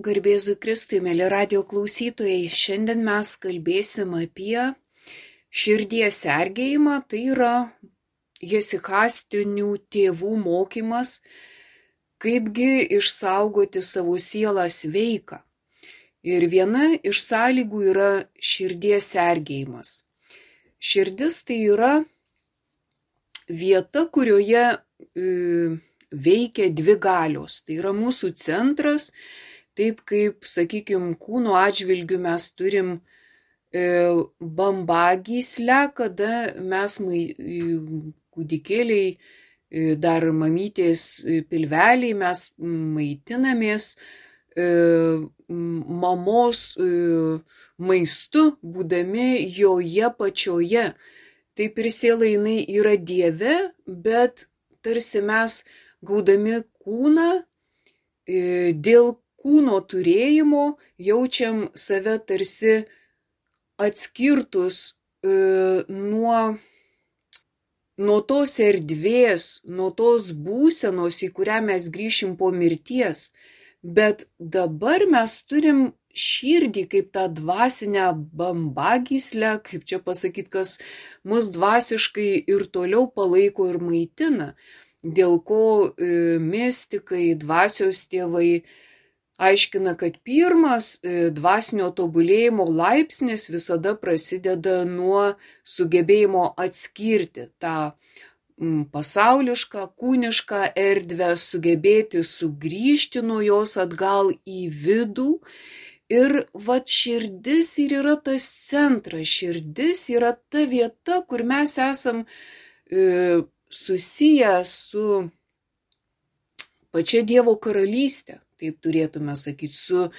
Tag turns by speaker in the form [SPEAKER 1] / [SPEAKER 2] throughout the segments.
[SPEAKER 1] Garbėzui Kristui, mėly radio klausytojai, šiandien mes kalbėsim apie širdies sergėjimą, tai yra hesikastinių tėvų mokymas, kaipgi išsaugoti savo sielą sveiką. Ir viena iš sąlygų yra širdies sergėjimas. Širdis tai yra vieta, kurioje veikia dvi galios. Tai yra mūsų centras, taip kaip, sakykime, kūno atžvilgių mes turim bambagyslę, kada mes kūdikėliai, dar mamytės pilveliai, mes maitinamės mamos maistu, būdami joje pačioje. Taip ir siela jinai yra Dieve, bet tarsi mes gaudami kūną, dėl kūno turėjimo jaučiam save tarsi atskirtus nuo tos erdvės, nuo tos būsenos, į kurią mes grįšim po mirties. Bet dabar mes turim širdį kaip tą dvasinę bambagyslę, kaip čia pasakyti, kas mus dvasiškai ir toliau palaiko ir maitina, dėl ko mistikai, dvasios tėvai aiškina, kad pirmas dvasinio tobulėjimo laipsnis visada prasideda nuo sugebėjimo atskirti tą pasaulišką, kūnišką erdvę, sugebėti sugrįžti nuo jos atgal į vidų. Ir vat širdis ir yra tas centras, širdis yra ta vieta, kur mes esam susiję su pačia Dievo karalystė, taip turėtume sakyti,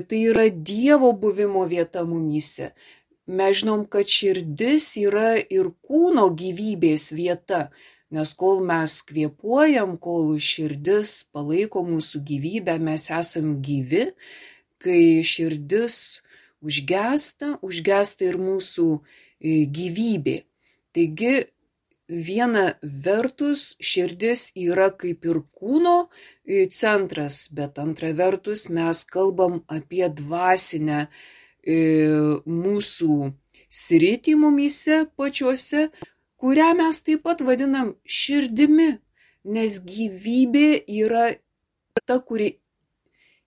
[SPEAKER 1] tai yra Dievo buvimo vieta mumyse. Mes žinom, kad širdis yra ir kūno gyvybės vieta, nes kol mes kvėpuojam, kol širdis palaiko mūsų gyvybę, mes esam gyvi. Kai širdis užgesta ir mūsų gyvybė. Taigi, viena vertus širdis yra kaip ir kūno centras, bet antra vertus mes kalbam apie dvasinę mūsų sritį mumyse pačiuose, kurią mes taip pat vadinam širdimi, nes gyvybė yra ta, kuri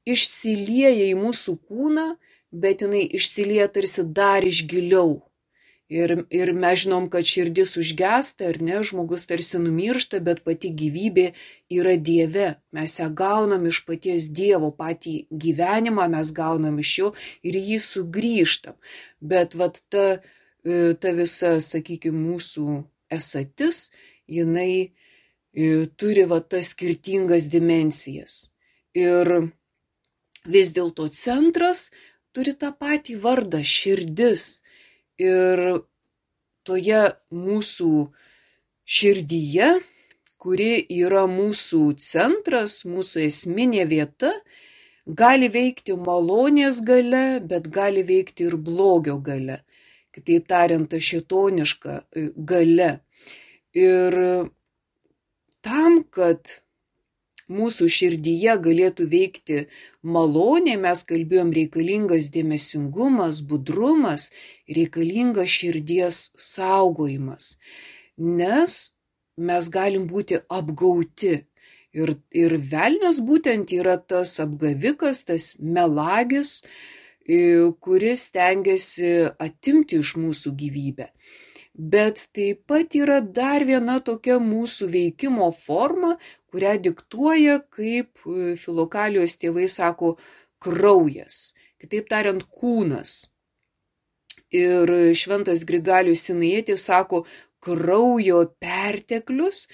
[SPEAKER 1] išsilieja į mūsų kūną, bet jinai išsilieja tarsi dar iš giliau. Ir mes žinom, kad širdis užgesta, ar ne, žmogus tarsi numiršta, bet pati gyvybė yra Dieve. Mes ją gaunam iš paties Dievo, patį gyvenimą mes gaunam iš jo ir jį sugrįžtam. Bet vat ta visa, sakykime, mūsų esatis, jinai turi vat tas skirtingas dimensijas. Ir vis dėlto centras turi tą patį vardą – širdis. Ir toje mūsų širdyje, kuri yra mūsų centras, mūsų esminė vieta, gali veikti malonės galia, bet gali veikti ir blogio galia. Kitaip tariant, ta šėtoniška galia. Ir tam, kad mūsų širdyje galėtų veikti malonė, mes kalbėjom, reikalingas dėmesingumas, budrumas, reikalingas širdies saugojimas, nes mes galim būti apgauti. Ir velnias būtent yra tas apgavikas, tas melagis, kuris stengiasi atimti iš mūsų gyvybę. Bet taip pat yra dar viena tokia mūsų veikimo forma, kurią diktuoja, kaip Filokalijos tėvai sako, kraujas. Kitaip tariant, kūnas. Ir šventas Grigalius Sinajietis sako, kraujo perteklius.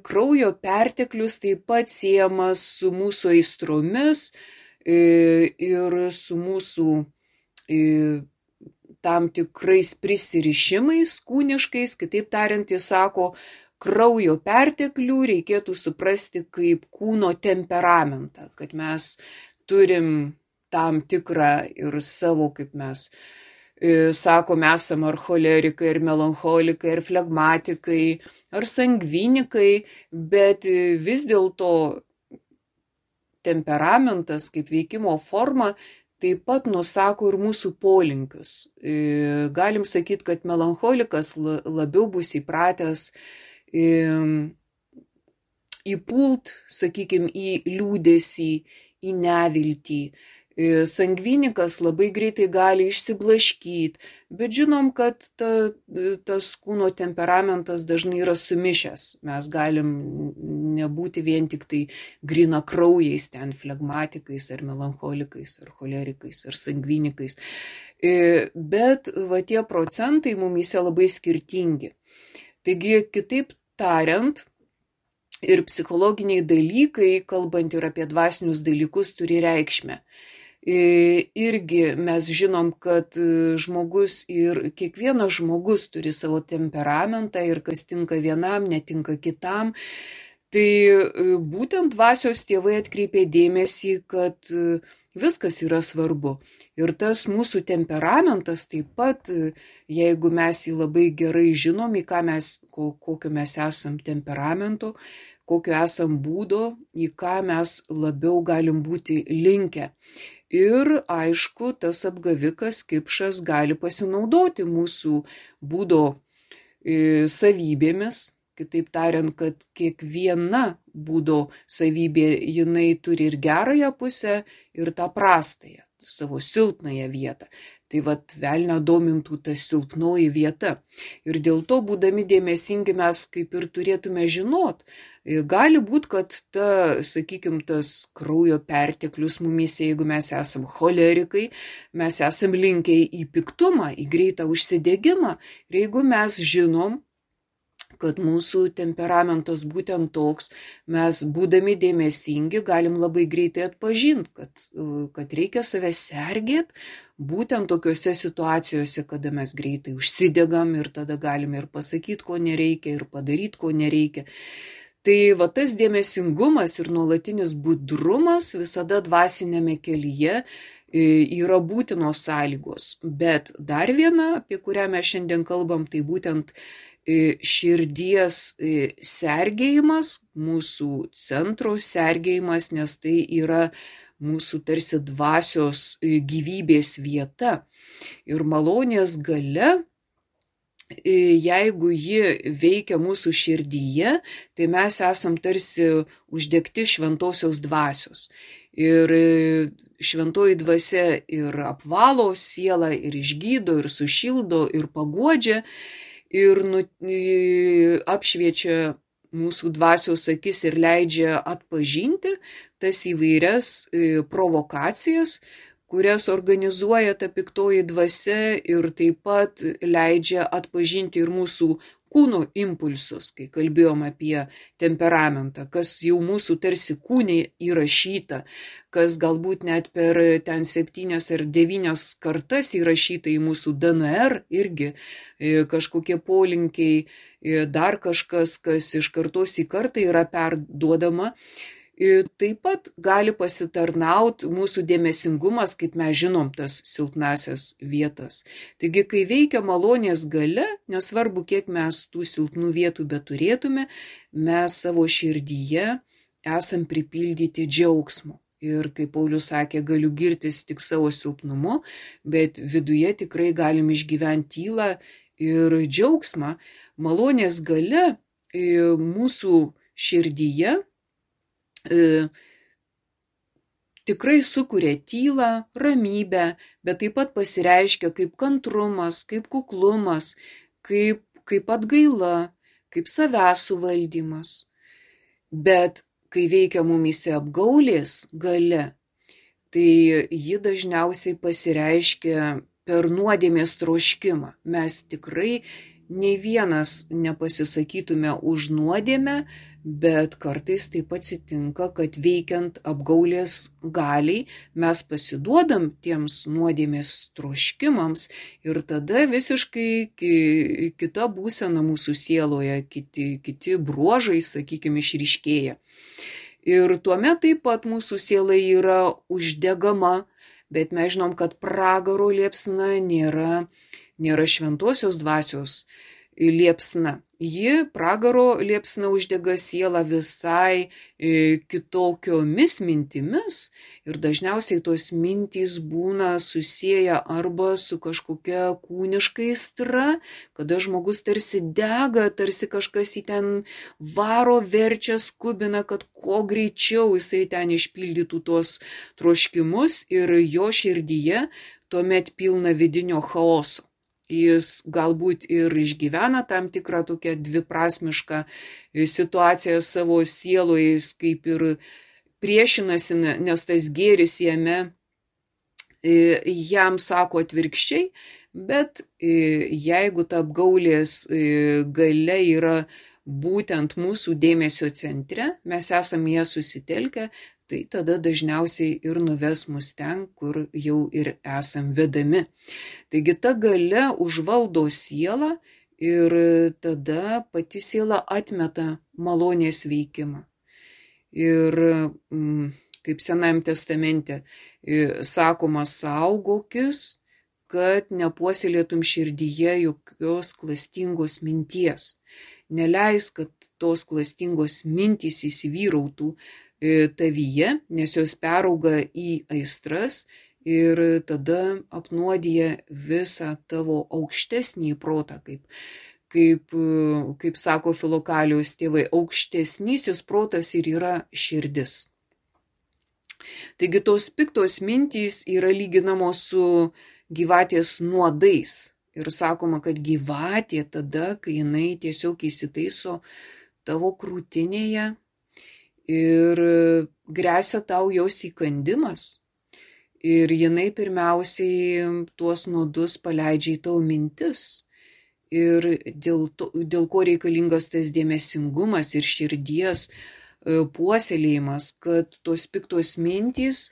[SPEAKER 1] Kraujo perteklius taip pat siejamas su mūsų aistromis ir su mūsų tam tikrais prisirišimais kūniškais. Kitaip tariant, jis sako, kraujo perteklių reikėtų suprasti kaip kūno temperamentą, kad mes turim tam tikrą ir savo, kaip mes sakom, esam ar cholerikai, ar melancholikai, ar flegmatikai, ar sangvinikai, bet vis dėlto temperamentas kaip veikimo forma taip pat nusako ir mūsų polinkius. Galim sakyti, kad melancholikas labiau bus įpratęs įpult, sakykime, į liūdesį, į neviltį. Sangvinikas labai greitai gali išsiblaškyti, bet žinom, kad tas kūno temperamentas dažnai yra sumišęs. Mes galim nebūti vien tik tai grina kraujais, ten flegmatikais ar melancholikais, ar cholerikais, ar sangvinikais. Bet va tie procentai mumyse labai skirtingi. Taigi, kitaip tariant, ir psichologiniai dalykai, kalbant ir apie dvasinius dalykus, turi reikšmę. Irgi mes žinom, kad žmogus ir kiekvienas žmogus turi savo temperamentą ir kas tinka vienam, netinka kitam. Tai būtent dvasios tėvai atkreipė dėmesį, kad viskas yra svarbu. Ir tas mūsų temperamentas taip pat, jeigu mes jį labai gerai žinom, į ką kokio mes esam temperamento, kokio esam būdo, į ką mes labiau galim būti linkę. Ir aišku, tas apgavikas kipšas gali pasinaudoti mūsų būdo savybėmis. Kitaip tariant, kad kiekviena būdo savybė, jinai turi ir gerąją pusę, ir tą prastąją, savo silpnąją vietą. Tai vat velnio domintų ta silpnoji vieta. Ir dėl to, būdami dėmesingi, mes kaip ir turėtume žinot. Gali būti, kad tas kraujo perteklius mumyse, jeigu mes esam cholerikai, mes esam linkę į piktumą, į greitą užsidegimą. Ir jeigu mes žinom, kad mūsų temperamentas būtent toks, mes būdami dėmesingi galim labai greitai atpažinti, kad reikia save sergėti būtent tokiuose situacijose, kada mes greitai užsidegam ir tada galime ir pasakyti, ko nereikia, ir padaryti, ko nereikia. Tai va tas dėmesingumas ir nuolatinis budrumas visada dvasinėme kelyje yra būtinos sąlygos. Bet dar viena, apie kurią mes šiandien kalbam, tai būtent širdies sergėjimas, mūsų centro sergėjimas, nes tai yra mūsų tarsi dvasios gyvybės vieta. Ir malonės galia, jeigu ji veikia mūsų širdyje, tai mes esam tarsi uždegti šventosios dvasios. Ir šventoji dvasia ir apvalo sielą, ir išgydo, ir sušildo, ir paguodžia. Ir apšviečia mūsų dvasios akis ir leidžia atpažinti tas įvairias provokacijas, kurias organizuoja ta piktoji dvasia ir taip pat leidžia atpažinti ir mūsų kūno impulsus, kai kalbėjom apie temperamentą, kas jau mūsų tarsi kūne įrašyta, kas galbūt net per ten 7 ar 9 kartas įrašyta į mūsų DNR, irgi kažkokie polinkiai, dar kažkas, kas iš kartos į kartą yra perduodama. Taip pat gali pasitarnauti mūsų dėmesingumas, kaip mes žinom, tas silpnasias vietas. Taigi, kai veikia malonės galia, nesvarbu, kiek mes tų silpnų vietų beturėtume, mes savo širdyje esam pripildyti džiaugsmo. Ir kaip Paulius sakė, galiu girtis tik savo silpnumu, bet viduje tikrai galim išgyventi tylą ir džiaugsmą. Malonės galia mūsų širdyje tikrai sukuria tylą, ramybę, bet taip pat pasireiškia kaip kantrumas, kaip kuklumas, kaip atgaila, kaip savęs suvaldymas. Bet kai veikia mumyse apgaulės galia, tai ji dažniausiai pasireiškia per nuodėmės troškimą. Mes tikrai nei vienas nepasisakytume už nuodėmę, bet kartais taip atsitinka, kad veikiant apgaulės galiai mes pasiduodam tiems nuodėmės troškimams ir tada visiškai kita būsena mūsų sieloje, kiti bruožai, sakykime, išryškėja. Ir tuomet taip pat mūsų siela yra uždegama, bet mes žinom, kad pragaro liepsna nėra šventosios dvasios liepsna. Ji, pragaro liepsna, uždega sielą visai kitokiomis mintimis ir dažniausiai tos mintys būna susiję arba su kažkokia kūniška aistra, kada žmogus tarsi dega, tarsi kažkas jį ten varo, verčia, skubina, kad kuo greičiau jisai ten išpildytų tuos troškimus ir jo širdyje tuomet pilna vidinio chaoso. Jis galbūt ir išgyvena tam tikrą tokią dviprasmišką situaciją savo sieloje, jis kaip ir priešinasi, nes tas gėris jame jam sako atvirkščiai, bet jeigu ta apgaulės galia yra būtent mūsų dėmesio centre, mes esame ją susitelkę, tai tada dažniausiai ir nuves mus ten, kur jau ir esam vedami. Taigi ta galia užvaldo sielą ir tada pati siela atmeta malonės veikimą. Ir kaip Senajame testamente sakoma, saugokis, kad nepuoselėtum širdyje jokios klastingos minties. Neleis, kad tos klastingos mintys įsivyrautų tavyje, nes jos perauga į aistras ir tada apnuodija visą tavo aukštesnį protą, kaip sako Filokalijos tėvai, aukštesnysis protas ir yra širdis. Taigi tos piktos mintys yra lyginamos su gyvatės nuodais. Ir sakoma, kad gyvatė tada, kai jinai tiesiog įsitaiso tavo krūtinėje ir gresia tau jos įkandimas. Ir jinai pirmiausiai tuos nuodus paleidžia į tavo mintis. Ir dėl ko reikalingas tas dėmesingumas ir širdies puoselėjimas, kad tos piktos mintys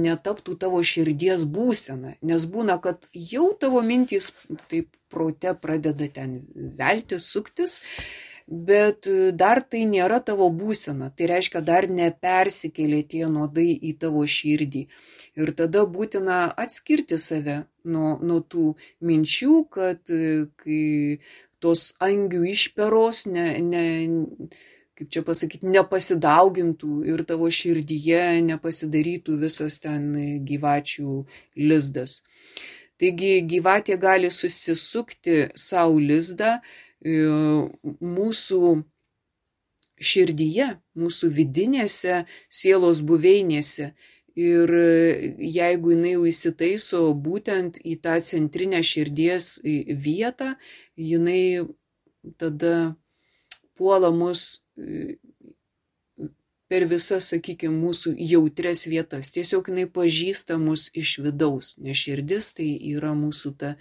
[SPEAKER 1] netaptų tavo širdies būsena. Nes būna, kad jau tavo mintys taip prote pradeda ten veltis, suktis, bet dar tai nėra tavo būsena. Tai reiškia, dar nepersikėlė tie nuodai į tavo širdį. Ir tada būtina atskirti save nuo tų minčių, kad kai tos angių išperos kaip čia pasakyti, nepasidaugintų ir tavo širdyje nepasidarytų visas ten gyvačių lizdas. Taigi gyvatė gali susisukti savo lizdą mūsų širdyje, mūsų vidinėse sielos buveinėse. Ir jeigu jinai jau įsitaiso būtent į tą centrinę širdies vietą, jinai tada puola mus per visas, sakykime, mūsų jautres vietas. Tiesiog jinai pažįsta mus iš vidaus, nes širdis tai yra mūsų ta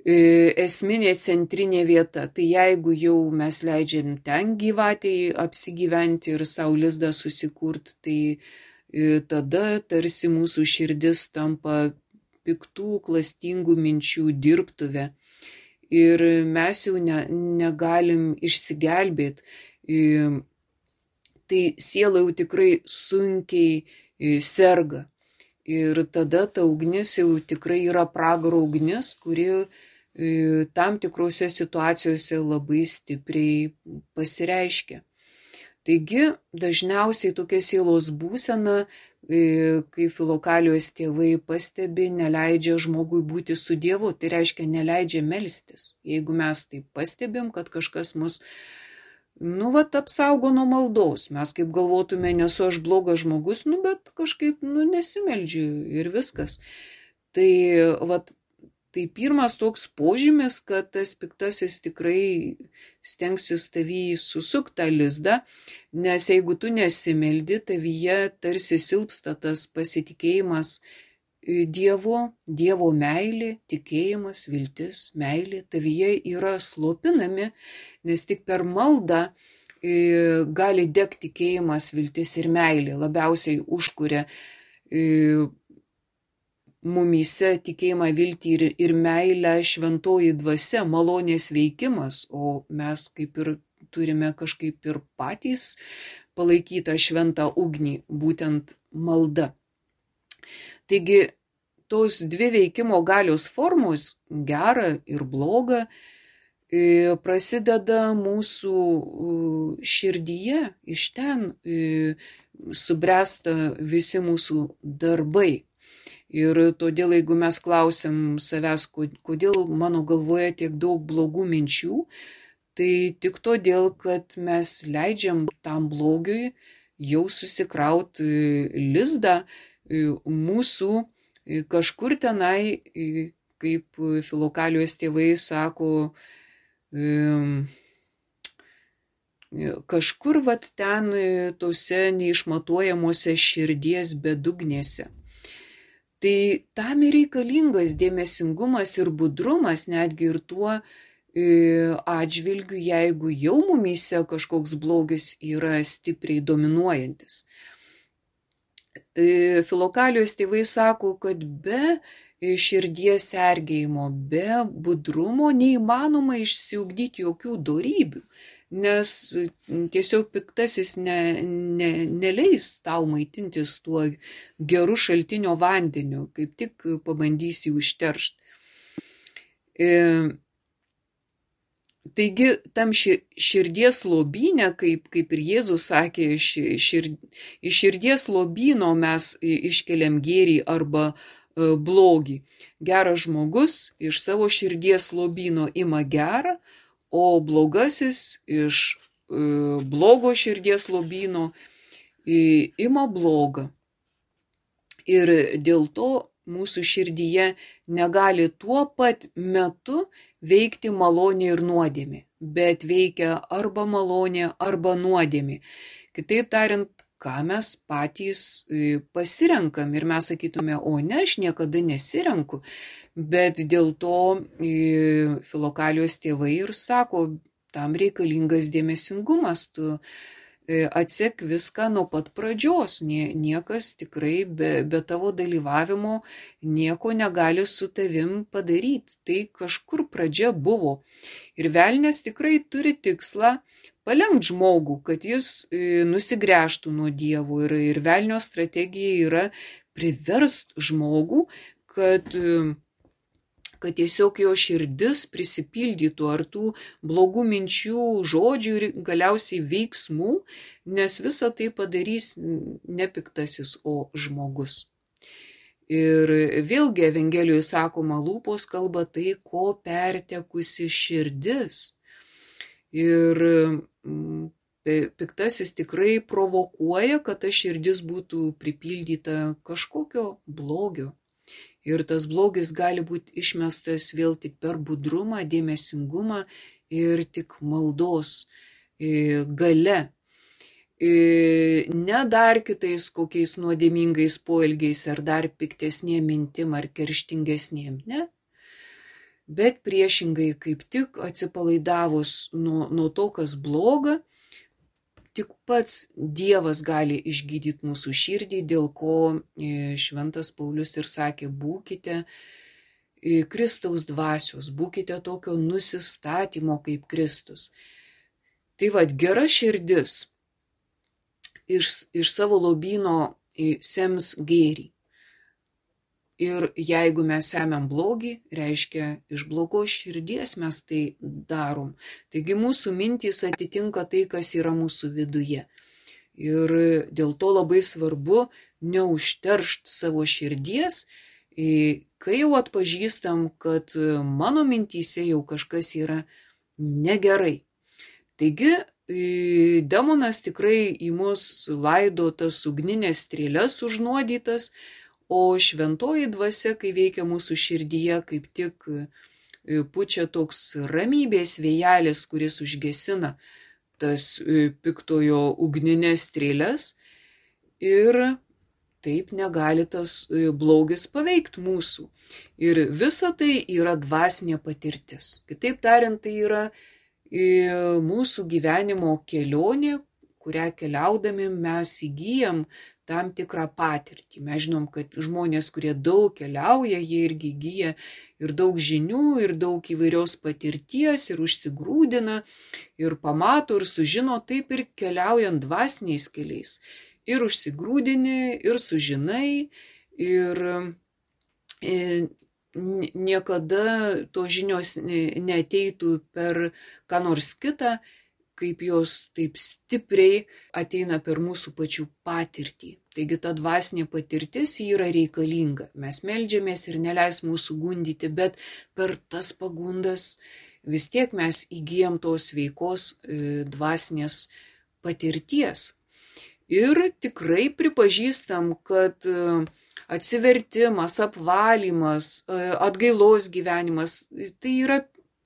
[SPEAKER 1] esminė centrinė vieta. Tai jeigu jau mes leidžiam ten gyvatei apsigyventi ir savo lizdą susikurti, tai tada tarsi mūsų širdis tampa piktų, klastingų minčių dirbtuvė. Ir mes jau negalim išsigelbėti. Tai siela jau tikrai sunkiai serga. Ir tada ta ugnis jau tikrai yra pragaro ugnis, kuri tam tikrose situacijose labai stipriai pasireiškia. Taigi, dažniausiai tokia sielos būsena, kai Filokalijos tėvai pastebi, neleidžia žmogui būti su Dievu. Tai reiškia, neleidžia melstis. Jeigu mes tai pastebim, kad kažkas mus apsaugo nuo maldos. Mes kaip galvotume, nesu aš blogas žmogus, bet kažkaip nesimeldžiu ir viskas. Tai pirmas toks požymis, kad tas piktasis tikrai stengsis tavį susukti tą lizdą, nes jeigu tu nesimeldi, tavyje tarsi silpsta tas pasitikėjimas Dievo meilė, tikėjimas, viltis, meilė, tavyje yra slopinami, nes tik per maldą gali degti tikėjimas, viltis ir meilė. Labiausiai užkuria mumyse tikėjimą, viltį ir meilę šventoji dvasia, malonės veikimas, o mes kaip ir turime kažkaip ir patys palaikytą šventą ugnį, būtent malda. Taigi tos dvi veikimo galios formos, gera ir bloga, prasideda mūsų širdyje, iš ten subręsta visi mūsų darbai. Ir todėl, jeigu mes klausim savęs, kodėl mano galvoje tiek daug blogų minčių, tai tik todėl, kad mes leidžiam tam blogiui jau susikrauti lizdą mūsų kažkur tenai, kaip Filokalijos tėvai sako, kažkur vat ten tose neišmatuojamuose širdies bedugnėse. Tai tam ir reikalingas dėmesingumas ir budrumas, netgi ir tuo atžvilgiu, jeigu jau mumyse kažkoks blogis yra stipriai dominuojantis. Filokalijos tėvai sako, kad be širdies sergėjimo, be budrumo neįmanoma išsiugdyti jokių dorybių, nes tiesiog piktasis neleis tau maitintis tuo geru šaltinio vandeniu, kaip tik pabandysi užteršti. Taigi, tam širdies lobyne, kaip ir Jėzus sakė, iš širdies lobyno mes iškeliam gėrį arba blogį. Geras žmogus iš savo širdies lobyno ima gerą, o blogasis iš blogo širdies lobyno ima blogą. Ir dėl to mūsų širdyje negali tuo pat metu veikti malonė ir nuodėmė, bet veikia arba malonė, arba nuodėmė. Kitaip tariant, ką mes patys pasirenkam ir mes sakytume, o ne, aš niekada nesirenku, bet dėl to Filokalijos tėvai ir sako, tam reikalingas dėmesingumas, tu atsek viską nuo pat pradžios, niekas tikrai be tavo dalyvavimo nieko negali su tavim padaryti, tai kažkur pradžia buvo. Ir velnias tikrai turi tikslą palenkt žmogų, kad jis nusigręžtų nuo Dievo. Ir velnio strategija yra priverst žmogų, kad tiesiog jo širdis prisipildytų ar tų blogų minčių, žodžių ir galiausiai veiksmų, nes visą tai padarys ne piktasis, o žmogus. Ir vėlgi Evangelijoje sakoma, lūpos kalba tai, ko pertekusi širdis. Ir piktasis tikrai provokuoja, kad ta širdis būtų pripildyta kažkokio blogio. Ir tas blogis gali būti išmestas vėl tik per budrumą, dėmesingumą ir tik maldos gale. Ne dar kitais kokiais nuodėmingais poelgiais ar dar piktesnėm mintim ar kerštingesnėm, ne? Bet priešingai, kaip tik atsipalaidavus nuo to, kas bloga, tik pats Dievas gali išgydyti mūsų širdį, dėl ko Šventas Paulius ir sakė, būkite Kristaus dvasios, būkite tokio nusistatymo kaip Kristus. Tai vad, gera širdis iš savo lobyno sems gėrį. Ir jeigu mes semiam blogį, reiškia, iš blogos širdies mes tai darom. Taigi mūsų mintys atitinka tai, kas yra mūsų viduje. Ir dėl to labai svarbu neužteršti savo širdies, kai jau atpažįstam, kad mano mintyse jau kažkas yra negerai. Taigi demonas tikrai į mus laido tas ugninės strėles užnuodytas, o šventoji dvasia, kai veikia mūsų širdyje, kaip tik pučia toks ramybės vėjelis, kuris užgesina tas piktojo ugninės strėles ir taip negali tas blogis paveikti mūsų. Ir visa tai yra dvasinė patirtis. Kitaip tariant, tai yra mūsų gyvenimo kelionė, kurią keliaudami mes įgyjam tam tikrą patirtį. Mes žinom, kad žmonės, kurie daug keliauja, jie irgi įgyja ir daug žinių, ir daug įvairios patirties, ir užsigrūdina, ir pamato, ir sužino, taip ir keliaujant dvasiniais keliais. Ir užsigrūdini, ir sužinai, ir niekada tos žinios neateitų per ką nors kitą, kaip jos taip stipriai ateina per mūsų pačių patirtį. Taigi ta dvasinė patirtis yra reikalinga. Mes meldžiamės ir neleis mūsų gundyti, bet per tas pagundas vis tiek mes įgyjam tos sveikos dvasinės patirties. Ir tikrai pripažįstam, kad atsivertimas, apvalymas, atgailos gyvenimas, tai yra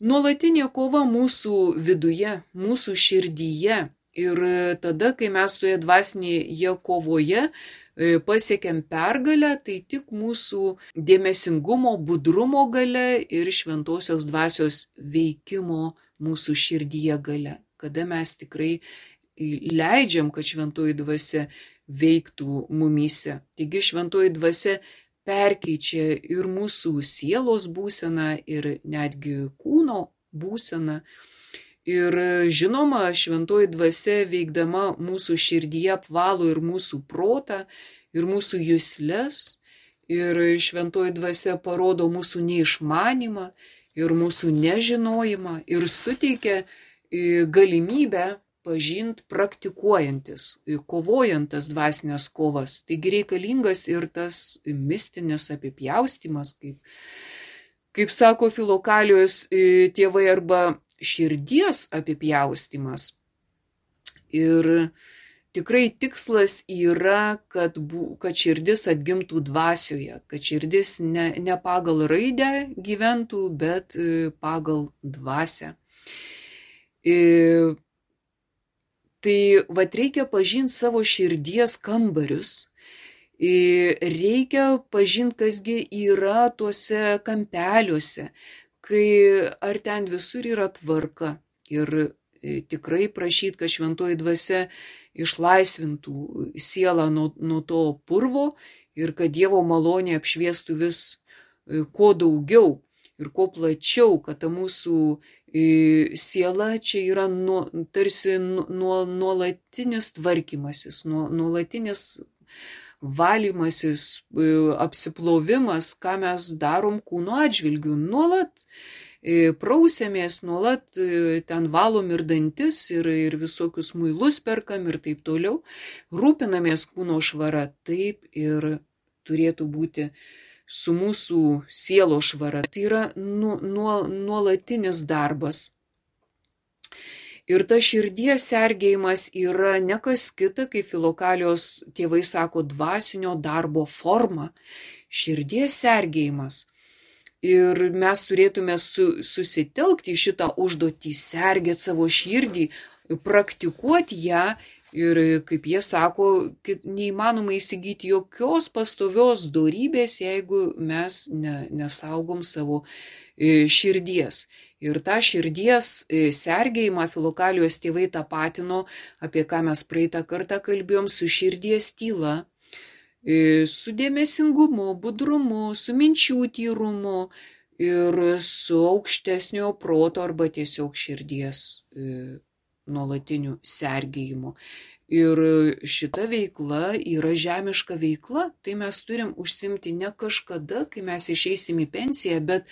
[SPEAKER 1] nuolatinė kova mūsų viduje, mūsų širdyje. Ir tada, kai mes toje dvasinėje kovoje pasiekiam pergalę, tai tik mūsų dėmesingumo, budrumo gale ir šventosios dvasios veikimo mūsų širdyje gale. Kada mes tikrai leidžiam, kad šventoji dvasia veiktų mumyse. Taigi šventoji dvasia perkeičia ir mūsų sielos būseną, ir netgi kūno būseną. Ir žinoma, šventoji dvasia veikdama mūsų širdyje apvalo ir mūsų protą, ir mūsų jusles. Ir šventoji dvasia parodo mūsų neišmanymą, ir mūsų nežinojimą, ir suteikia galimybę pažint praktikuojantis, kovojant tas dvasinės kovas. Taigi reikalingas ir tas mistinis apipjaustymas, kaip sako Filokalijos tėvai, arba širdies apipjaustymas. Ir tikrai tikslas yra, kad širdis atgimtų dvasioje, kad širdis ne pagal raidę gyventų, bet pagal dvasią. Tai reikia pažinti savo širdies kambarius, reikia pažinti, kasgi yra tuose kampeliuose, ar ten visur yra tvarka. Ir tikrai prašyti, kad šventoji dvasia išlaisvintų sielą nuo to purvo ir kad Dievo malonė apšviestų vis kuo daugiau ir kuo plačiau, kad ta mūsų siela čia yra tarsi nuolatinis tvarkymasis, nuolatinis valymasis, apsiplovimas, ką mes darom kūno atžvilgių. Nuolat prausiamės, nuolat ten valom ir dantis, ir visokius muilus perkam ir taip toliau. Rūpinamės kūno švara, taip ir turėtų būti su mūsų sielo švara. Tai yra nuolatinis darbas. Ir ta širdies sergėjimas yra ne kas kita, kaip Filokalijos tėvai sako, dvasinio darbo forma. Širdies sergėjimas. Ir mes turėtume susitelkti į šitą užduotį, sergėti savo širdį, praktikuoti ją. Ir kaip jie sako, neįmanoma įsigyti jokios pastovios dorybės, jeigu mes nesaugom savo širdies. Ir tą širdies sergėjimą Filokalijos tėvai tapatino, apie ką mes praeitą kartą kalbėjom, su širdies tyla, su dėmesingumu, budrumu, su minčių tyrumu ir su aukštesnio proto arba tiesiog širdies nuolatiniu sergėjimu. Ir šita veikla yra žemiška veikla, tai mes turim užsimti ne kažkada, kai mes išeisim į pensiją, bet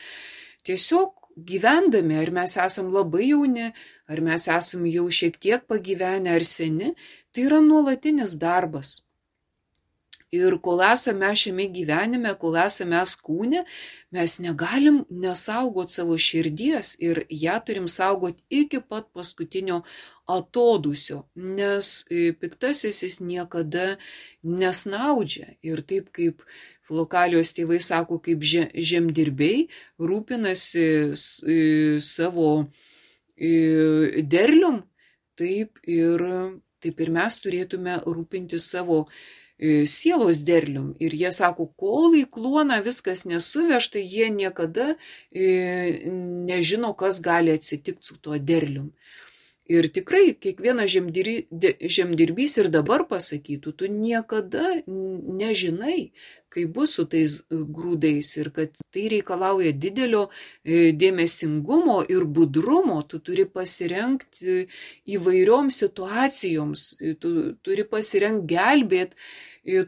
[SPEAKER 1] tiesiog gyvendami, ar mes esam labai jauni, ar mes esam jau šiek tiek pagyvenę ar seni, tai yra nuolatinis darbas. Ir kol esame šiame gyvenime, kol esame kūne, mes negalim nesaugot savo širdies ir ją turim saugot iki pat paskutinio atodūsio, nes piktasis jis niekada nesnaudžia. Ir taip kaip Filokalijos tėvai sako, kaip žemdirbiai rūpinasi savo derlium, taip ir mes turėtume rūpinti savo sielos derlium. Ir jie sako, kol į kluoną viskas nesuvežta, jie niekada nežino, kas gali atsitikti su tuo derlium. Ir tikrai kiekvienas žemdirbys ir dabar pasakytų, tu niekada nežinai, kaip bus su tais grūdais ir kad tai reikalauja didelio dėmesingumo ir budrumo, tu turi pasirengti įvairioms situacijoms, tu turi pasirengti gelbėti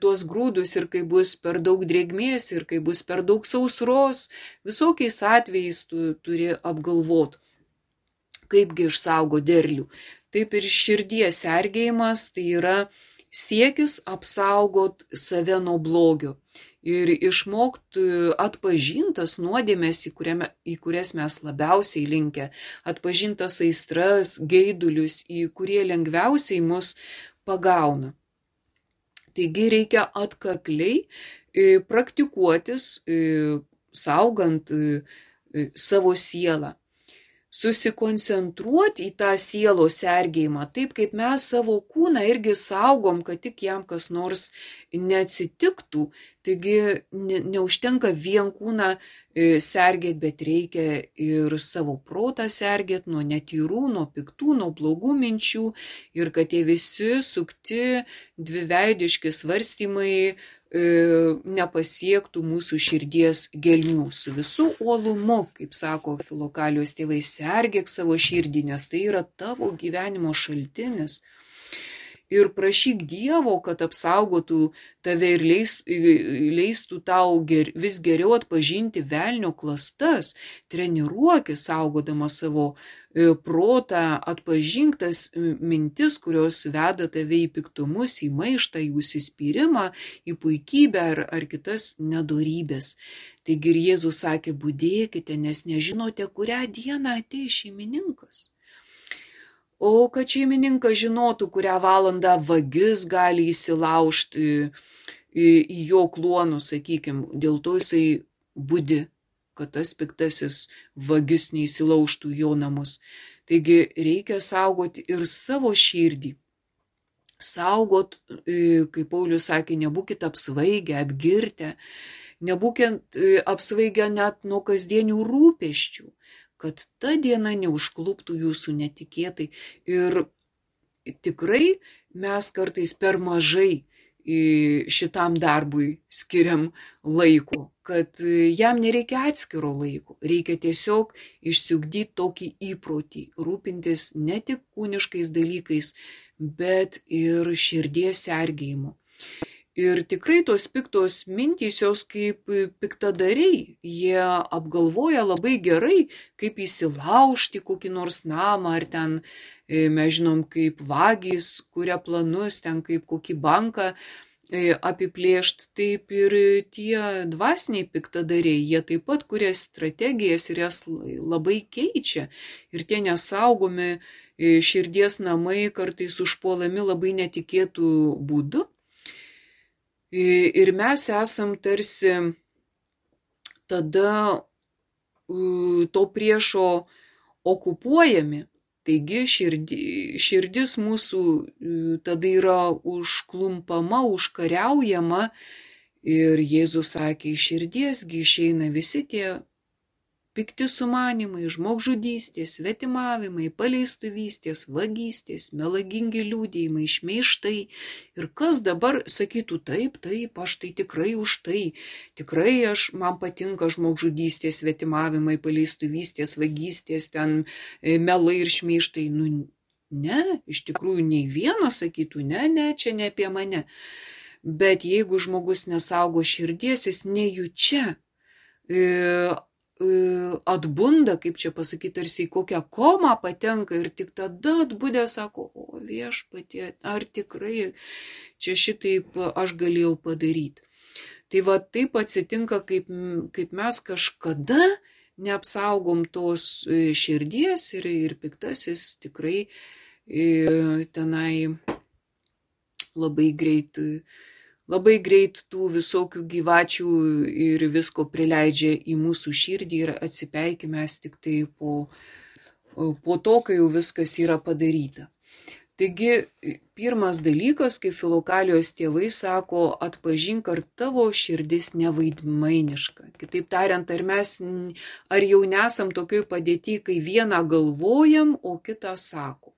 [SPEAKER 1] tuos grūdus ir kai bus per daug drėgmės ir kai bus per daug sausros, visokiais atvejais tu turi apgalvoti, kaipgi išsaugo derlių. Taip ir širdies sergėjimas tai yra siekis apsaugot save nuo blogio ir išmokt atpažintas nuodėmes, į kurias mes labiausiai linkę, atpažintas aistras, geidulius, į kurie lengviausiai mus pagauna. Taigi reikia atkakliai praktikuotis, saugant savo sielą. Susikoncentruoti į tą sielos sergėjimą, taip kaip mes savo kūną irgi saugom, kad tik jam kas nors neatsitiktų. Taigi neužtenka vien kūną sergėti, bet reikia ir savo protą sergėti nuo netyrų, nuo piktų, nuo blogų minčių ir kad tie visi sukti dviveidiški svarstymai nepasiektų mūsų širdies gelmių. Su visų uolumu, kaip sako Filokalijos tėvai, sergėk savo širdį, nes tai yra tavo gyvenimo šaltinis. Ir prašyk Dievo, kad apsaugotų tave ir leistų tau vis geriau atpažinti velnio klastas. Treniruokis saugodama savo protą, atpažink tas mintis, kurios veda tave į piktumus, į maištą, į užsispyrimą, į puikybę ar kitas nedorybės. Taigi ir Jėzus sakė, budėkite, nes nežinote, kurią dieną ateis šeimininkas. O kad šeimininkas žinotų, kurią valandą vagis gali įsilaužti į jo kluonus, sakykime, dėl to jisai budi, kad tas piktasis vagis neįsilaužtų į jo namus. Taigi reikia saugoti ir savo širdį. Saugot, kaip Paulius sakė, nebūkite apsvaigę, apgirtę, nebūkite apsvaigę net nuo kasdienių rūpesčių, kad ta diena neužkluptų jūsų netikėtai. Ir tikrai mes kartais per mažai šitam darbui skiriam laiko, kad jam nereikia atskiro laiko, reikia tiesiog išsiugdyti tokį įprotį, rūpintis ne tik kūniškais dalykais, bet ir širdies sergėjimu. Ir tikrai tos piktos mintys, jos kaip piktadariai, jie apgalvoja labai gerai, kaip įsilaužti kokį nors namą, ar ten, mes žinom, kaip vagys kuria planus, ten kaip kokį banką apiplėšti, taip ir tie dvasiniai piktadariai, jie taip pat kuria strategijas ir jas labai keičia. Ir tie nesaugomi širdies namai kartais užpuolami labai netikėtų būdų. Ir mes esam tarsi tada to priešo okupuojami. Taigi širdis mūsų tada yra užklumpama, užkariaujama. Ir Jėzus sakė, iš širdiesgi išeina visi tie pikti sumanimai, žmogžudystės, svetimavimai, paleistuvystės, vagystės, melagingi liudijimai, šmeižtai. Ir kas dabar sakytų, taip, aš tai tikrai už tai. Tikrai man patinka žmogžudystės, svetimavimai, paleistuvystės, vagystės, ten melai ir šmeižtai. Ne, iš tikrųjų nei vienas sakytų, ne, čia ne apie mane. Bet jeigu žmogus nesaugo širdies, jis nejučia atbunda, kaip čia pasakyti, tarsi į kokią komą patenka ir tik tada atbudė sako, o viešpatie, ar tikrai čia šitaip aš galėjau padaryti. Tai va taip atsitinka, kaip mes kažkada neapsaugom tos širdies ir piktasis tikrai tenai labai greit tų visokių gyvačių ir visko prileidžia į mūsų širdį ir atsipeikime mes tik tai po to, kai jau viskas yra padaryta. Taigi, pirmas dalykas, kaip Filokalijos tėvai sako, atpažink, ar tavo širdis nevaidmainiška. Kitaip tariant, ar jau nesam tokioj padėty, kai vieną galvojam, o kitą sakom.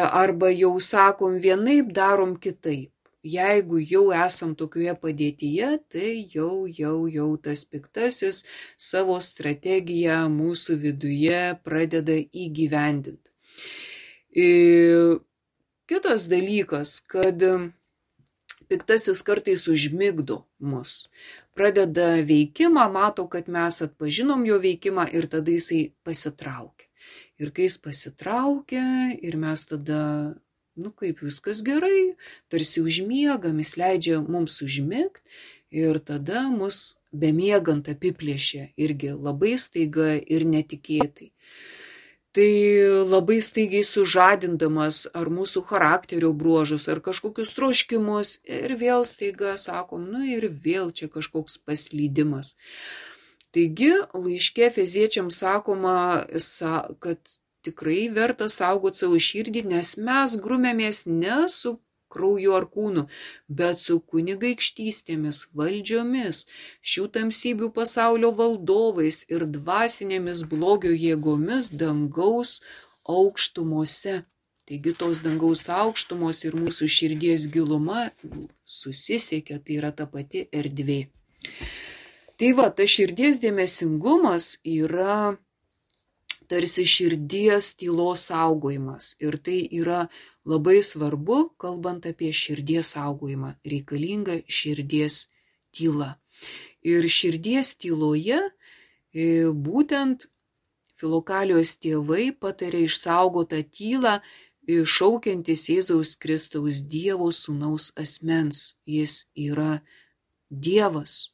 [SPEAKER 1] Arba jau sakom vienaip, darom kitaip. Jeigu jau esam tokioje padėtyje, tai jau tas piktasis savo strategiją mūsų viduje pradeda įgyvendinti. Kitas dalykas, kad piktasis kartais užmigdo mus. Pradeda veikimą, mato, kad mes atpažinom jo veikimą ir tada jisai pasitraukia. Ir kai jis pasitraukia ir mes tada, kaip viskas gerai, tarsi užmiegam, jis leidžia mums užmigti ir tada mus bemiegant apiplėšia irgi labai staiga ir netikėtai. Tai labai staigiai sužadindamas ar mūsų charakterio bruožus, ar kažkokius troškimus ir vėl staiga sakom, ir vėl čia kažkoks paslydimas. Taigi laiške Efeziečiams sakoma, kad tikrai verta saugoti savo širdį, nes mes grumėmės ne su krauju ar kūnu, bet su kunigaikštystėmis, valdžiomis, šių tamsybių pasaulio valdovais ir dvasinėmis blogio jėgomis dangaus aukštumose. Taigi tos dangaus aukštumos ir mūsų širdies giluma susisiekia, tai yra ta pati erdvė. Tai ta širdies dėmesingumas yra tarsi širdies tylos saugojimas. Ir tai yra labai svarbu, kalbant apie širdies saugojimą. Reikalinga širdies tyla. Ir širdies tyloje būtent Filokalijos tėvai patarė išsaugotą tylą, šaukiantis Jėzaus Kristaus Dievo sūnaus asmens. Jis yra Dievas.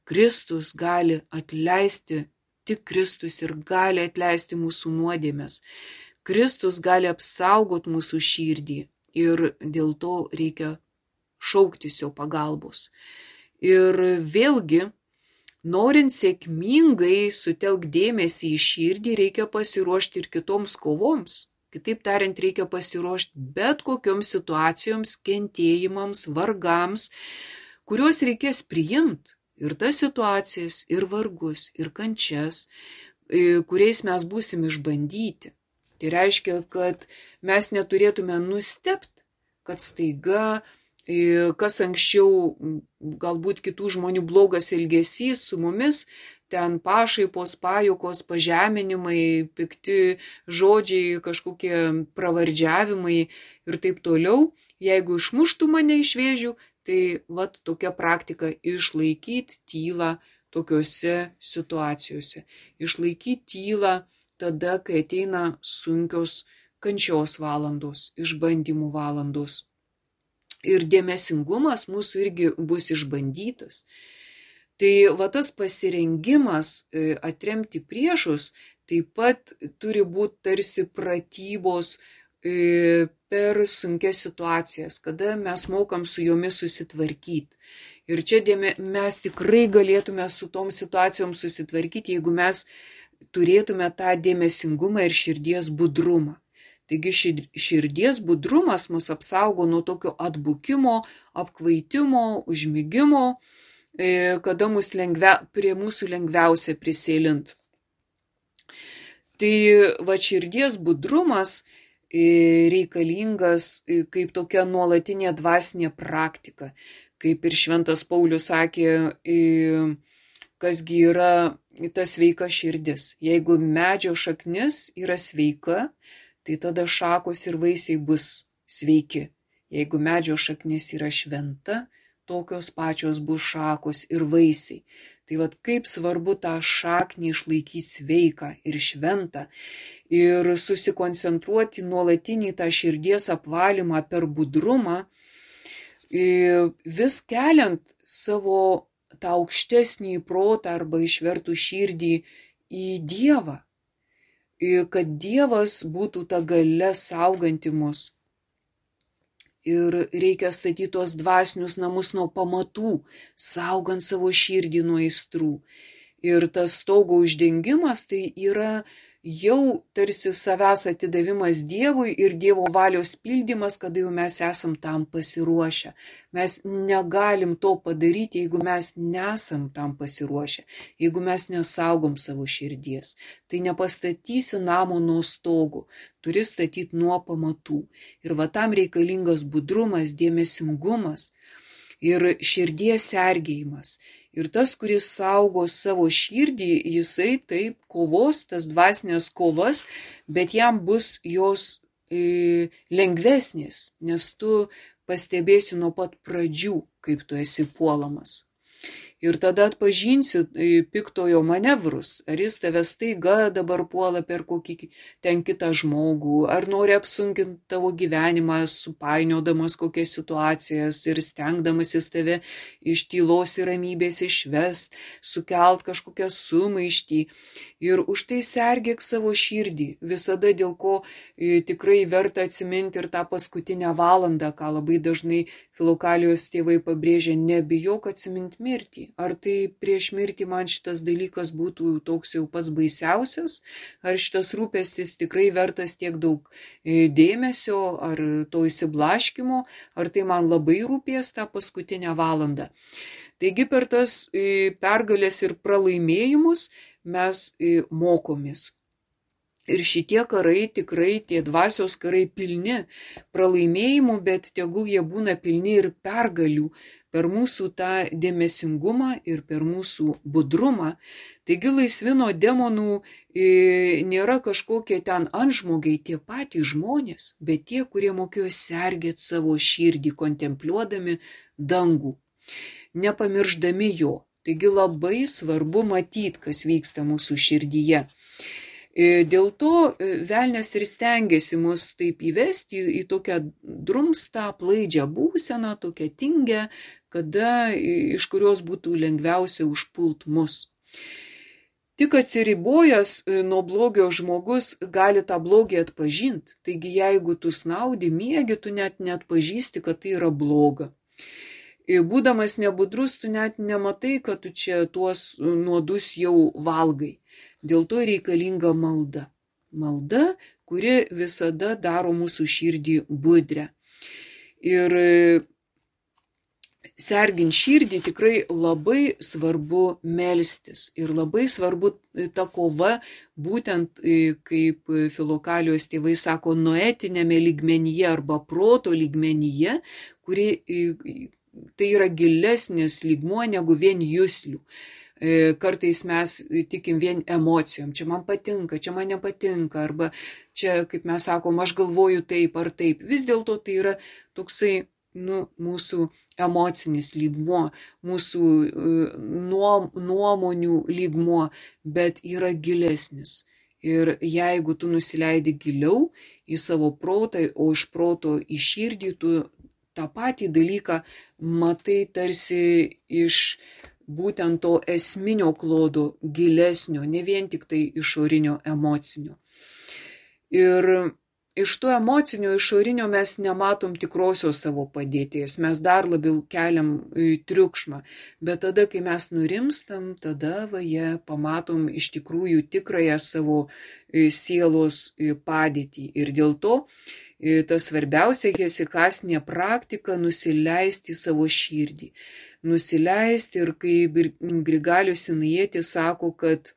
[SPEAKER 1] Kristus gali atleisti, tik Kristus ir gali atleisti mūsų nuodėmes. Kristus gali apsaugoti mūsų širdį ir dėl to reikia šauktis jo pagalbos. Ir vėlgi, norint sėkmingai sutelkti dėmesį į širdį, reikia pasiruošti ir kitoms kovoms. Kitaip tariant, reikia pasiruošti bet kokioms situacijoms, kentėjimams, vargams, kuriuos reikės priimti. Ir tas situacijas, ir vargus, ir kančias, kuriais mes būsim išbandyti. Tai reiškia, kad mes neturėtume nustebti, kad staiga, kas anksčiau galbūt kitų žmonių blogas elgesys su mumis, ten pašaipos, pajuokos, pažeminimai, pikti žodžiai, kažkokie pravardžiavimai ir taip toliau, jeigu išmuštų mane iš vėžių, tai tokia praktika išlaikyti tylą tokiuose situacijose. Išlaikyti tylą tada, kai ateina sunkios kančios valandos, išbandymų valandos. Ir dėmesingumas mūsų irgi bus išbandytas. Tai tas pasirengimas atremti priešus taip pat turi būti tarsi pratybos per sunkias situacijas, kada mes mokam su jomis susitvarkyti. Ir čia mes tikrai galėtume su tom situacijom susitvarkyti, jeigu mes turėtume tą dėmesingumą ir širdies budrumą. Taigi širdies budrumas mus apsaugo nuo tokio atbukimo, apkvaitimo, užmigimo, kada prie mūsų lengviausia prisėlint. Tai širdies budrumas reikalingas kaip tokia nuolatinė dvasinė praktika. Kaip ir Šventas Paulius sakė, kasgi yra ta sveika širdis. Jeigu medžio šaknis yra sveika, tai tada šakos ir vaisiai bus sveiki. Jeigu medžio šaknis yra šventa, tokios pačios bus šakos ir vaisiai. Tai kaip svarbu tą šaknį išlaikyti sveiką ir šventą ir susikoncentruoti nuolatinį tą širdies apvalymą per budrumą, vis keliant savo tą aukštesnį protą arba išvertų širdį į Dievą, kad Dievas būtų ta galia sauganti mus. Ir reikia statyti tuos dvasinius namus nuo pamatų, saugant savo širdį nuo aistrų. Ir tas stogo uždengimas tai yra jau tarsi savęs atidavimas Dievui ir Dievo valios pildymas, kada jau mes esam tam pasiruošę. Mes negalim to padaryti, jeigu mes nesam tam pasiruošę, jeigu mes nesaugom savo širdies. Tai nepastatysi namo nuo stogo, turi statyti nuo pamatų. Ir tam reikalingas budrumas, dėmesingumas ir širdies sergėjimas. Ir tas, kuris saugo savo širdį, jisai taip kovos, tas dvasinės kovas, bet jam bus jos lengvesnės, nes tu pastebėsi nuo pat pradžių, kaip tu esi puolamas. Ir tada atpažinsi piktojo manevrus, ar jis tave staiga dabar puola per kokį ten kitą žmogų, ar nori apsunkinti tavo gyvenimą, supainiodamas kokias situacijas ir stengdamasis tave iš tylos ir ramybės išvest, sukelt kažkokią sumaištį. Ir už tai sergėk savo širdį, visada dėl ko tikrai verta atsiminti ir tą paskutinę valandą, ką labai dažnai Filokalijos tėvai pabrėžia, nebijok atsiminti mirtį. Ar tai prieš mirtį man šitas dalykas būtų toks jau pats baisiausias, ar šitas rūpestis tikrai vertas tiek daug dėmesio, ar to įsiblaškimo, ar tai man labai rūpės tą paskutinę valandą. Taigi per tas pergalės ir pralaimėjimus mes mokomės. Ir šitie karai tikrai, tie dvasios karai pilni pralaimėjimų, bet tegul jie būna pilni ir pergalių per mūsų tą dėmesingumą ir per mūsų budrumą. Taigi laisvi nuo demonų nėra kažkokie ten antžmogiai, tie patys žmonės, bet tie, kurie mokėjo sergėti savo širdį, kontempliuodami dangų, nepamirždami jo. Taigi labai svarbu matyti, kas vyksta mūsų širdyje. Dėl to velnias ir stengiasi mus taip įvesti į tokią drumstą, aplaidžią būseną, tokią tingę, iš kurios būtų lengviausia užpult mus. Tik atsiribojęs nuo blogio žmogus gali tą blogį atpažinti. Taigi jeigu tu snaudi, miegi, tu net neatpažįsti, kad tai yra bloga. Būdamas nebudrus, tu net nematai, kad tu čia tuos nuodus jau valgai. Dėl to reikalinga malda. Malda, kuri visada daro mūsų širdį budrę. Ir sergint širdį tikrai labai svarbu melstis. Ir labai svarbu ta kova, būtent kaip Filokalijos tėvai sako, noetinėme lygmenyje arba proto lygmenyje, kuri tai yra gilesnis lygmuo negu vien juslių. Kartais mes tikim vien emocijom, čia man patinka, čia man nepatinka, arba čia, kaip mes sakom, aš galvoju taip ar taip. Vis dėlto tai yra toksai mūsų emocinis lygmuo, mūsų nuomonių lygmuo, bet yra gilesnis. Ir jeigu tu nusileidi giliau į savo protą, o iš proto į širdį, tu tą patį dalyką matai tarsi iš būtent to esminio klodo, gilesnio, ne vien tik tai išorinio emocinio. Ir iš to emocinio išorinio mes nematom tikrosios savo padėties, mes dar labiau keliam triukšmą, bet tada, kai mes nurimstam, tada pamatom iš tikrųjų tikrąją savo sielos padėtį. Ir dėl to ta svarbiausia hesikasinė praktika nusileisti į savo širdį. Nusileisti ir kaip Grigalius Sinajietis sako, kad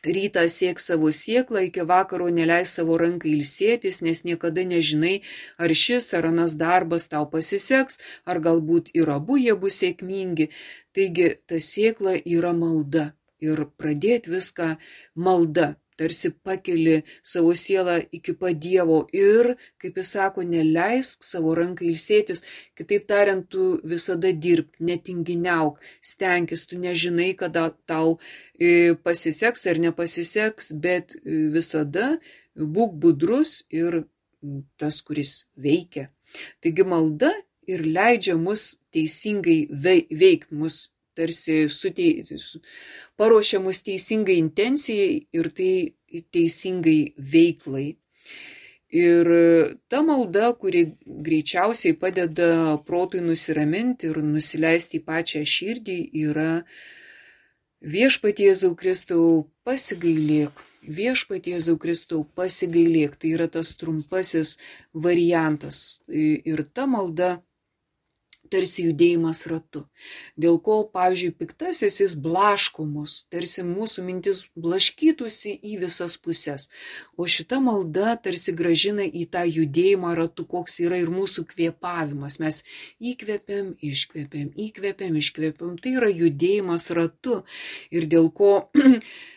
[SPEAKER 1] rytą siek savo sėklą, iki vakaro neleis savo rankai ilsėtis, nes niekada nežinai, ar šis ar anas darbas tau pasiseks, ar galbūt ir abu jie bus sėkmingi. Taigi ta sėkla yra malda ir pradėti viską malda. Tarsi pakeli savo sielą iki pat Dievo ir, kaip jis sako, neleisk savo rankai ilsėtis. Kitaip tariant, tu visada dirbk, netinginiauk, stenkis, tu nežinai, kada tau pasiseks ar nepasiseks, bet visada būk budrus ir tas, kuris veikia. Taigi malda ir leidžia mus teisingai veikti, mus tarsi paruošia mus teisingai intencijai ir tai teisingai veiklai. Ir ta malda, kuri greičiausiai padeda protui nusiraminti ir nusileisti į pačią širdį, yra Viešpatie Jėzau Kristau pasigailėk. Viešpatie Jėzau Kristau pasigailėk. Tai yra tas trumpasis variantas. Ir ta malda tarsi judėjimas ratu. Dėl ko, pavyzdžiui, piktasis jis blaško mus, tarsi mūsų mintis blaškytųsi į visas puses. O šita malda tarsi gražina į tą judėjimą ratu, koks yra ir mūsų kvėpavimas. Mes įkvepiam, iškvepiam. Tai yra judėjimas ratu. Ir dėl ko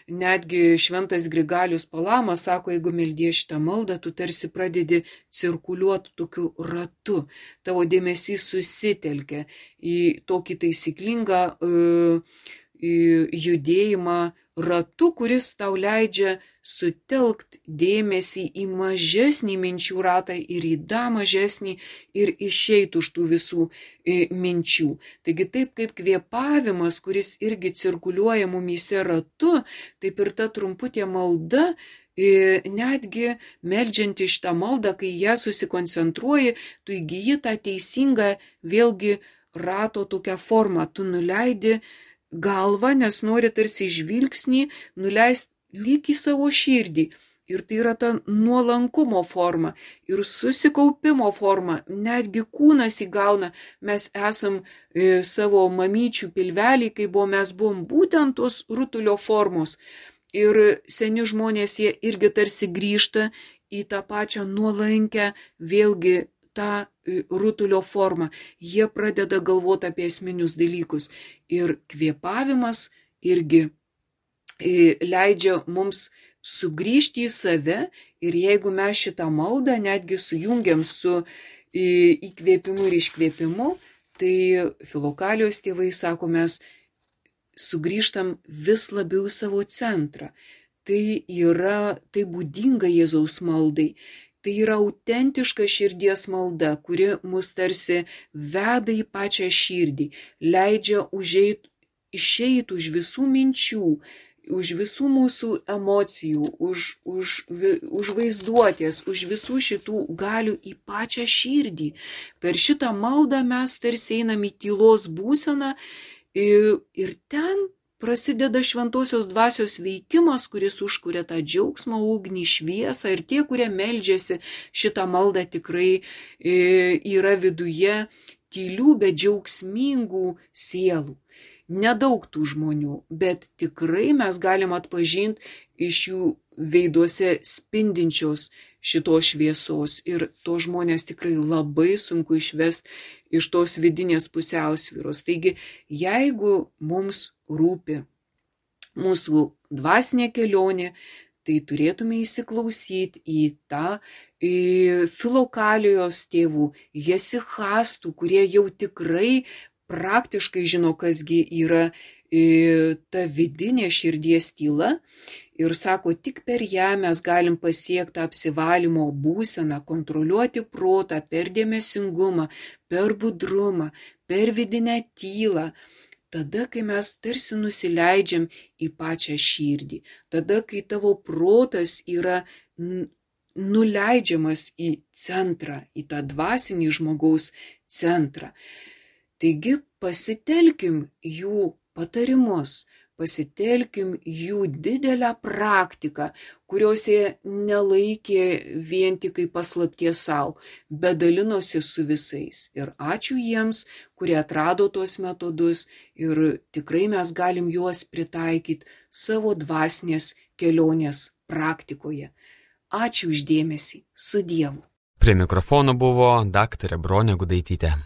[SPEAKER 1] netgi šventas Grigalius Palamas sako, jeigu meldės šitą maldą, tu tarsi pradedi cirkuliuoti tokiu ratu. Tavo dėmesys susitelkia į tokį taisyklingą judėjimą ratu, kuris tau leidžia sutelkt dėmesį į mažesnį minčių ratą ir į dar mažesnį ir išeit už tų visų minčių. Taigi taip kaip kvėpavimas, kuris irgi cirkuliuoja mumyse ratu, taip ir ta trumputė malda, netgi meldžiant šitą maldą, kai ją susikoncentruoji, tu įgyji tą teisingą vėlgi rato tokią formą. Tu nuleidi galvą, nes nori tarsi žvilgsnį nuleisti lyg į savo širdį. Ir tai yra ta nuolankumo forma ir susikaupimo forma. Netgi kūnas įgauna, mes esam savo mamyčių pilvelį, kai mes buvom būtent tos rutulio formos. Ir seni žmonės, jie irgi tarsi grįžta į tą pačią nuolankę, vėlgi tą rutulio formą. Jie pradeda galvoti apie esminius dalykus. Ir kvėpavimas irgi leidžia mums sugrįžti į save. Ir jeigu mes šitą maldą netgi sujungiam su įkvėpimu ir iškvėpimu, tai Filokalijos tėvai sako, mes sugrįžtam vis labiau į savo centrą. Tai būdinga Jėzaus maldai. Tai yra autentiška širdies malda, kuri mus tarsi veda į pačią širdį, leidžia išeiti už visų minčių, už visų mūsų emocijų, už vaizduotės, už visų šitų galių į pačią širdį. Per šitą maldą mes tarsi einam į tylos būseną ir ten prasideda šventosios dvasios veikimas, kuris užkuria tą džiaugsmą, ugnį, šviesą. Ir tie, kurie meldžiasi šitą maldą, tikrai yra viduje tylių, bet džiaugsmingų sielų. Nedaug tų žmonių, bet tikrai mes galim atpažinti iš jų veiduose spindinčios šitos šviesos. Ir to žmonės tikrai labai sunku išvesti iš tos vidinės pusiausvyros. Taigi, jeigu mums rūpi mūsų dvasinė kelionė, tai turėtume įsiklausyti į tą Filokalijos tėvų, hesichastų, kurie jau tikrai praktiškai žino, kasgi yra ta vidinė širdies tyla. Ir sako, tik per ją mes galim pasiekti apsivalymo būseną, kontroliuoti protą per dėmesingumą, per budrumą, per vidinę tylą. Tada, kai mes tarsi nusileidžiam į pačią širdį. Tada, kai tavo protas yra nuleidžiamas į centrą, į tą dvasinį žmogaus centrą. Taigi pasitelkim jų patarimus, pasitelkim jų didelę praktiką, kurios jie nelaikė vien tik kaip paslapties savo, bet dalinosi su visais. Ir ačiū jiems, kurie atrado tuos metodus ir tikrai mes galim juos pritaikyti savo dvasinės kelionės praktikoje. Ačiū už dėmesį. Su Dievu.
[SPEAKER 2] Prie mikrofono buvo daktarė Bronė Gudaitytė.